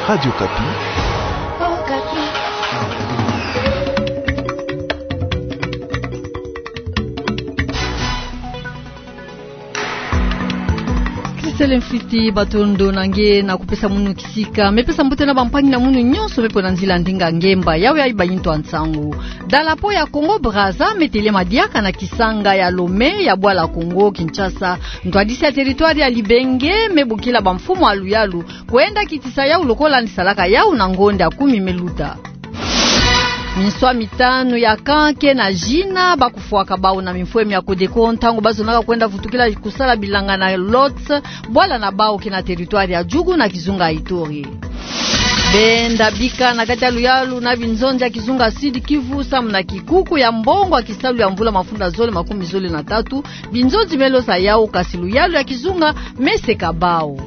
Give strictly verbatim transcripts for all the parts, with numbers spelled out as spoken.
Radio Okapi. Christelle Mfwiti, matondo na nge na kupesa munu kisika. Me pesa mbote na bampangi na munu nyonso me pona nzila ndinga ngemba. Yawe ayiba yintu ya nsangu. Dalapo ya Congo Brazza me telema diaka na kisanga ya Lomé ya bwala Congo Kinshasa. Ntwadisi ya territoire ya Libenge me bokila bamfumu ya luyalu kwenda kitisa yau lokola ni salaka yau na ngonda kumi me luta. Minswa mitanu ya camp ke na zina ba kufwaka bau na mimfwemi ya Codeco ntangu ba zonaka kwenda vutukila kusala bilanga na Lhotse, bwala na bau ke na territoire ya Djugu na kizunga Ituri. Benda bika na kati ya luyalu na binzonzi ya kizunga Sud-Kivu samu na kikuku ya mbongo ya kisalu ya mvula mafunda zole makumi zole na tatu, binzonzi me losa yau kasi luyalu ya kizunga me seka bau.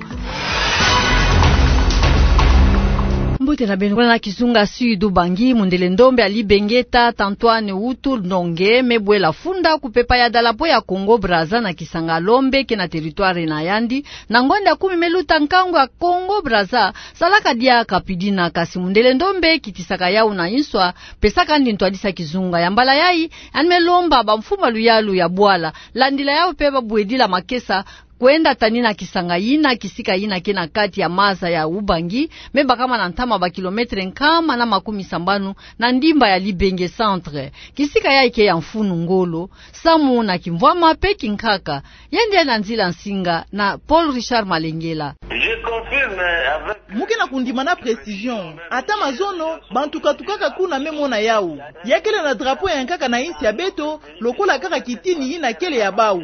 Mbote na beno. Kuna na kizunga Sud-Ubangi, mundele ndombe ya Libenge, tata Antoine Wutu Ndonge, me bwela funda kupepa ya dalapo ya Congo Brazza na kisanga Lomé ke na territoire na yandi, na ngonda kumi me luta nkangu ya Congo Brazza, salaka diaka pidina kasi mundele ndombe kitisaka yau na inswa, pesaka ndi ntwadisi ya kizunga. Ya mbala yai, yandi me lomba bamfumu ya luyalu ya bwala, landila yau pe ba bwedila makesa, kwenda tanina kisanga yina, kisika yina ke na kati ya maza ya Ubangi, me bakama na ntama ba kilomètre nkama na makumi sambanu na ndimba ya Libenge Centre. Kisika yai ke ya mfunu ngolo, samu na kimvwama pe kinkaka. Yandi ya na nzila nsinga na Paul Richard Malengela. Je confirme avec... Mu ke na kundima na précision. Ata mazono, bantu katukaka kuna me mona yau. Ya kele na drapeau ya nkaka na insi ya beto, lokola kaka kitini yina kele ya bau.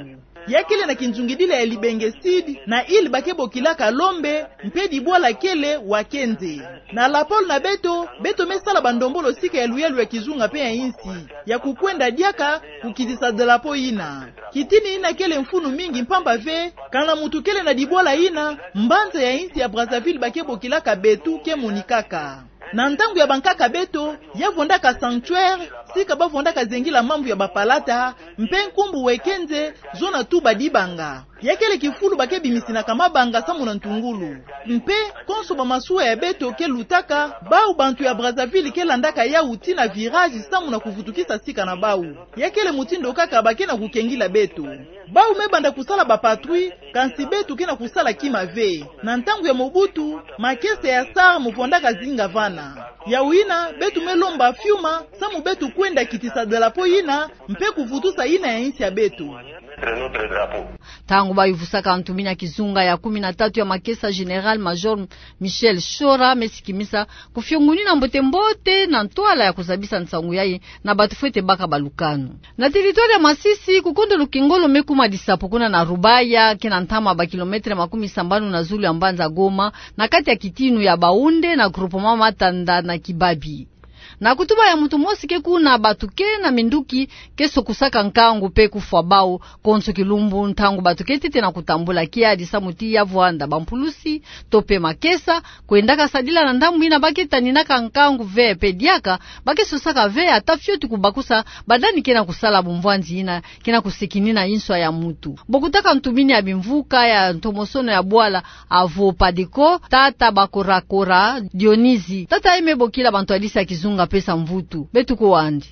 Ya kele na kinzungidila ya Libenge Sud, na île ba ke bokilaka Lombe, mpe dibwala kele Wakenze. Na lapolo na beto, beto me sala bandombolo sika ya luyalu ya kizunga mpe ya insi, ya kukwenda diaka kukitisa drapeau yina. Kitini yina kele mfunu mingi mpamba ve, kana muntu kele na dibwala yina, mbanza ya insi ya Brazzaville ba ke bokilaka beto ke monikaka. Na ntangu ya bankaka beto, ya vondaka sanctuaire, sika ba vondaka zengila mambu ya bapalata, mpe nkumbu Wekenze, zona tuba dibanga. Ya kele kifulu ba ke bimisinaka mabanga samu na ntungulu. Mpe, konso bamasuwa ya beto ke lutaka, bau bantu ya Brazzaville ke landaka yau tii na virage samu na kuvutukisa sika na bau. Ya kele mutindu kaka ba ke na kukengila beto. Bau me banda kusala ba patrouille, kansi beto ke na kusala kima ve. Na ntangu ya Mobutu, makesa ya SAR mo vondaka zinga vana. Yau yina, beto me lomba fiuma, samu beto kwenda kitisa drapeau yina, mpe kuvutusa yina ya insi ya beto. Ntangu ba yuvusaka ntumini ya kizunga ya kumi na tatu ya makesa, Général-Major Michel Shora me sikimisa kufiongunina mbote-mbote na ntwala ya kuzabisa nsangu yayi na bantu fwete baka balukanu. Na territoire ya Masisi, kukondo lukengolo me kuma disapo kuna na Rubaya, ke na ntama ba kilomètre makumi sambanu na zulu ya mbanza Goma, na kati ya kitinu ya Baoundé na groupement Matanda na Kibabi. Na kutuba ya muntu mosi ke kuna, bantu ke na minduki ke sokusaka nkangu mpe kufwa bau, konso kilumbu ntangu bantu ke ntete na kutambula kiadi samu tii ya vwanda bampulusi, to mpe makesa, kwendaka sadila na ndambu yina ba ke taninaka nkangu ve mpe diaka, ba ke sosaka ve ata fioti kubakusa, bandani ke na kusala bumvwanzi yina ke na kusekinina inswa ya muntu. Bo kutaka ntumini ya bimvuka ya ntomosono ya bwala avo Padeko, tata Bakorakora Dionisi. Tata ye me bokila bantwadisi ya kizunga pesa mvutu. Beto kwe andi.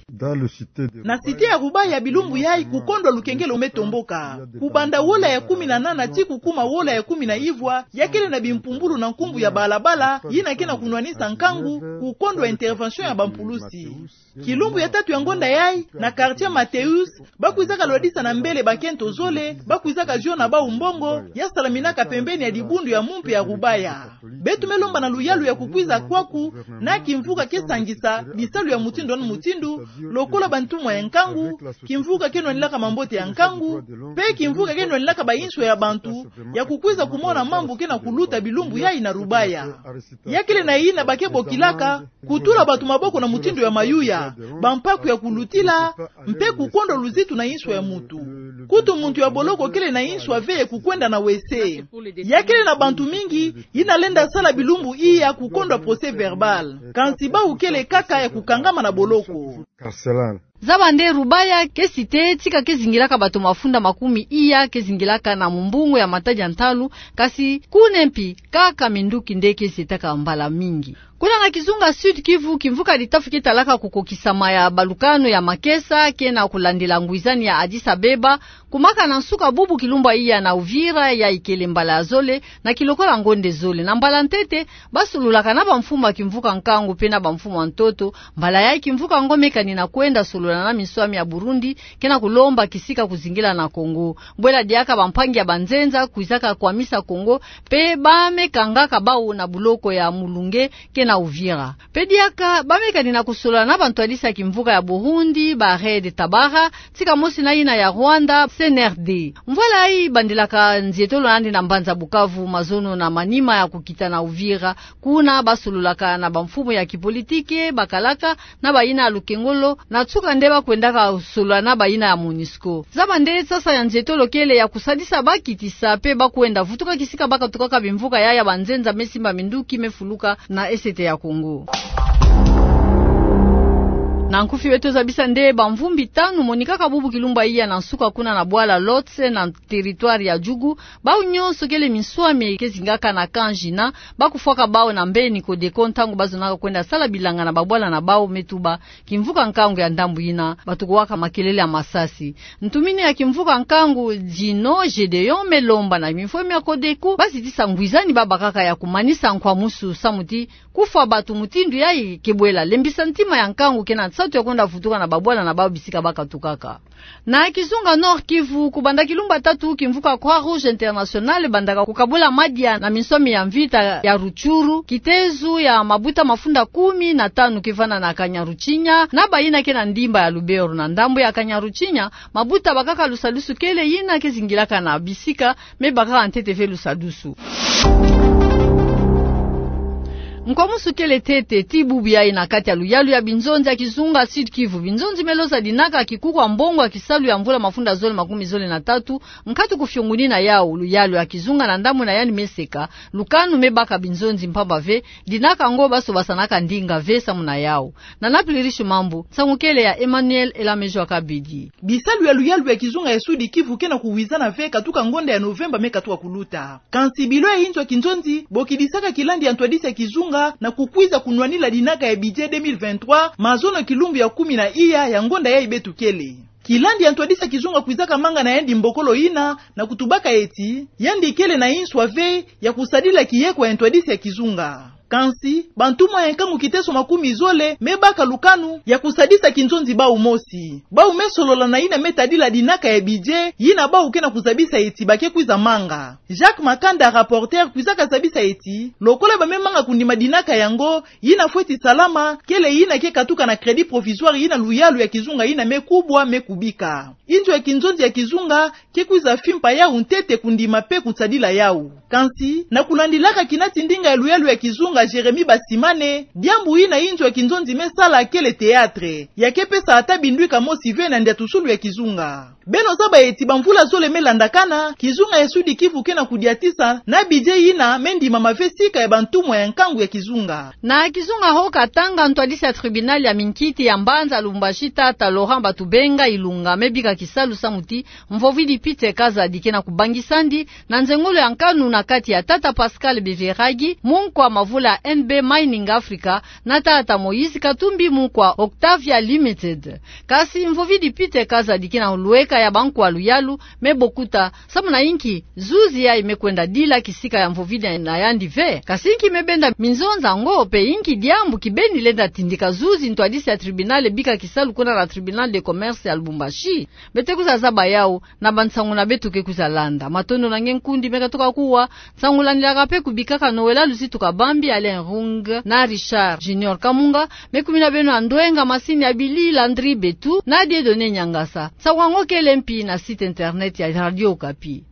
Na cité ya Rubaya bilumbu yayi kukondwa lukengelo me tomboka. Kubanda wola ya kumi na nana tii kukuma wola ya kumi na ivwa, ya kele na bimpumbulu na nkumbu ya balabala, yina ke na kunwanisa nkangu, kukondwa intervention ya bampulusi. Kilumbu ya tatu ya ngonda yayi, na quartier Mathéus, ba kwizaka lwadisa na mbele bakento zole, ba kwizaka ziona bau mbongo, ya salaminaka pembeni ya dibundu ya mumpe ya Rubaya. Beto me lomba na luyalu ya kukwiza kwaku, na kimvuka ke sangisa bisalu ya mutindu na mutindu, lokola bantumwa ya nkangu, kimvuka ke nwanilaka mambote ya nkangu, mpe kimvuka ke nwanilaka bainswa ya bantu, ya kukwiza kumona mambu ke na kuluta bilumbu yayi na Rubaya. Ya kele na yina ba ke bokilaka, kutula bantu maboko na mutindu ya mayuya, bampaku ya kulutila, mpe kukondwa luzitu na inswa ya muntu. Kutu muntu ya boloko kele na inswa ve ya kukwenda na WC. Ya kele na bantu mingi, yina lenda sala bilumbu iya kukondwa procès-verbal. Kansi bau kele kaka ya kukangama na boloko. Zaba nde Rubaya ke site tika ke zingilaka bato mafunda makumi iya ke zingilaka na mumbungu ya matadi ya ntalu, kasi kune mpi kaka minduki nde ke setaka mbala mingi. Kuna na kizunga Sud-Kivu, kimvuka Litafu ke talaka kukokisama ya balukanu ya makesa ke na kulandila ngwizani ya Addis-Abeba, kumaka na nsuka bubu kilumbu iya na Uvira, ya ikele mbala ya zole na kilokola ngonde zole. Na mbala ntete, ba sololaka na bamfumu ya kimvuka nkangu mpe na bamfumu ya ntoto. Mbala yayi kimvuka ngo me kani na kwenda solola na minswami ya Burundi, ke na kulomba kisika kuzingila na Kongo. Bwela diaka bampangi ya banzenza kwizaka kwamisa Kongo, mpe ba me kangaka bau na buloko ya Mulunge ke na Uvira. Mpe diaka ba me kani na kusolola na bantwadisi ya kimvuka ya Burundi, ba Red Tabara, tika mosi na yina ya Rwanda, C N R D. Mvwala yayi bandilaka nzietolo na yandi na mbanza Bukavu, mazono na manima ya kukita na Uvira. Kuna ba sololaka na bamfumu ya kipolitiki, bakalaka, na bayina ya lukengolo, na nsuka nde ba kwendaka solola na bayina ya MONUSCO. Zaba nde sasa ya nzietolo kele ya kusadisa ba kitisa mpe ba kwenda vutuka kisika ba katukaka bimvuka ya, ya banzenza me simba minduki me fuluka na Est ya Kongo. Na nkufi beto zabisa nde bamvumbi tanu monikaka bubu kilumbu iya na nsuka kuna na bwala Lhotse na territoire ya Djugu, bau nyonso kele minswami ke zingaka na camp Jina, ba kufwaka bau na mbeni Codeco ntangu ba zonaka kwenda sala bilanga na babwala na bau me tuba kimvuka nkangu ya ndambu yina, bato kuwaka makelele ya masasi. Ntumini ya kimvuka nkangu Djino Gédéon me lomba na bimfwemi ya Codeco ba zitisa ngwizani ba bakaka ya kumanisa nkwamusu samu ti kufwa bato mutindu yayi ke bwela lembisa ntima ya nkangu ke na nsatu ya kwenda vutuka na babwala na bau bisika ba katukaka. Na kizunga Nord-Kivu, kubanda kilumbu ya tatu, kimvuka Croix-Rouge Internationale bandaka kukabula madia na minswami ya mvita ya Rutshuru, kitezo ya mabuta mafunda kumi na tanu ke vanda na Kanyaruchinya, na bayina ke na ndimba ya Lubero. Na ndambu ya Kanyaruchinya, mabuta bakaka lusadusu kele yina ke zingilaka na bisika me bakaka ntete ve lusadusu. Nkwamusu kele ntete ti bubu yayi na kati ya luyalu ya binzonzi ya kizunga Sud-Kivu. Binzonzi me loza dinaka kikuku ya mbongo ya kisalu ya mvula mafunda zole makumi zole na tatu, nkatu kufiongunina yau. Luyalu ya kizunga na ndambu na yandi me seka, lukanu me baka binzonzi mpamba ve, dinaka ngo ba sobasanaka ndinga ve samu na yau. Na Napili Rishi Mambu, nsangu kele ya Emmanuel Elamejo Akabidi. Bisalu ya luyalu ya kizunga ya Sud-Kivu ke na kuwizana ve katuka ngonda ya Novemba me katuka kuluta. Kansi bilo ya inzo ya kinzonzi bokidisaka kilandi ya ntwadisi ya kizunga na kukwiza kunwanila dinaka ya budget deux mille vingt-trois, mazono kilumbu ya kumi na iya ya ngonda yayi beto kele. Kilandi ya ntwadisi ya kizunga kwizaka manga na yandi mbokolo yina na kutubaka eti yandi kele na inswa ve ya kusadila kiyekwa ya ntwadisi ya kizunga. Kansi bantumwa ya nkangu kiteso makumi zole me baka lukanu ya kusadisa kinzonzi bau mosi. Bau me solola na yina me tadila dinaka ya budget yina bau ke na kuzabisa eti ba ke kwiza manga. Jacques Makanda, rapporteur, kwizaka zabisa eti lokola ba me manga kundima dinaka yango, yina fweti salama kele yina ke katuka na crédit provisoire yina luyalu ya kizunga yina me kubwa me kubika. Inzo ya kinzonzi ya kizunga ke kwiza fimpa yau ntete kundima mpe kusadila yau. Kansi, na kulandilaka kinati ndinga ya luyalu ya kizunga Jérémie Basimane, diambu yina inzo ya kinzonzi me sala kele théâtre. Ya ke pesa ata bindwika mosi ve na ndiatusulu ya kizunga. Beno zaba eti bamvula zole me landakana, kizunga ya Sud-Kivu ke na kudiatisa na budget yina me ndimama ve sika ya bantumwa ya nkangu ya kizunga. Na kizunga Haut-Katanga, ntwadisi ya tribunal ya minkiti ya mbanza Lubumbashi, tata Laurent Batubenga Ilunga, me bika kisalu samu ti Mvovidi Peter Kazadi ke na kubangisa ndi na nzengolo ya nkanu na kati ya tata Pascal Beveragi, munkwa mavula N B Mining Africa, na tata Moïse Katumbi, munkwa Octavia Limited. Kansi Mvovidi Peter Kazadi ke na hulweka ya bankwa luyalu, me bokuta samu na inki zuzi yayi me kwenda dila kisika ya Mvovidi na yandi ve. Kansi inki me benda minzonza ngo, mpe inki diambu kibeni lenda tindika zuzi ntwadisi ya tribunal bika kisalu kuna na Tribunal de Commerce ya Lubumbashi? Beto kwiza zaba yau na bansangu na beto ke kwiza landa. Matondo na nge nkundi me katuka kuwa. Nsangu landilaka mpe kubikaka Noëlla Luzitu Kabambi, Alain Rung na Richard Junior Kamunga, me kumina beno na ndwenga masini ya bili Landry Betu na Dieudonné Niangasa. Nsangu yango kele mpi na site internet ya Radio Okapi.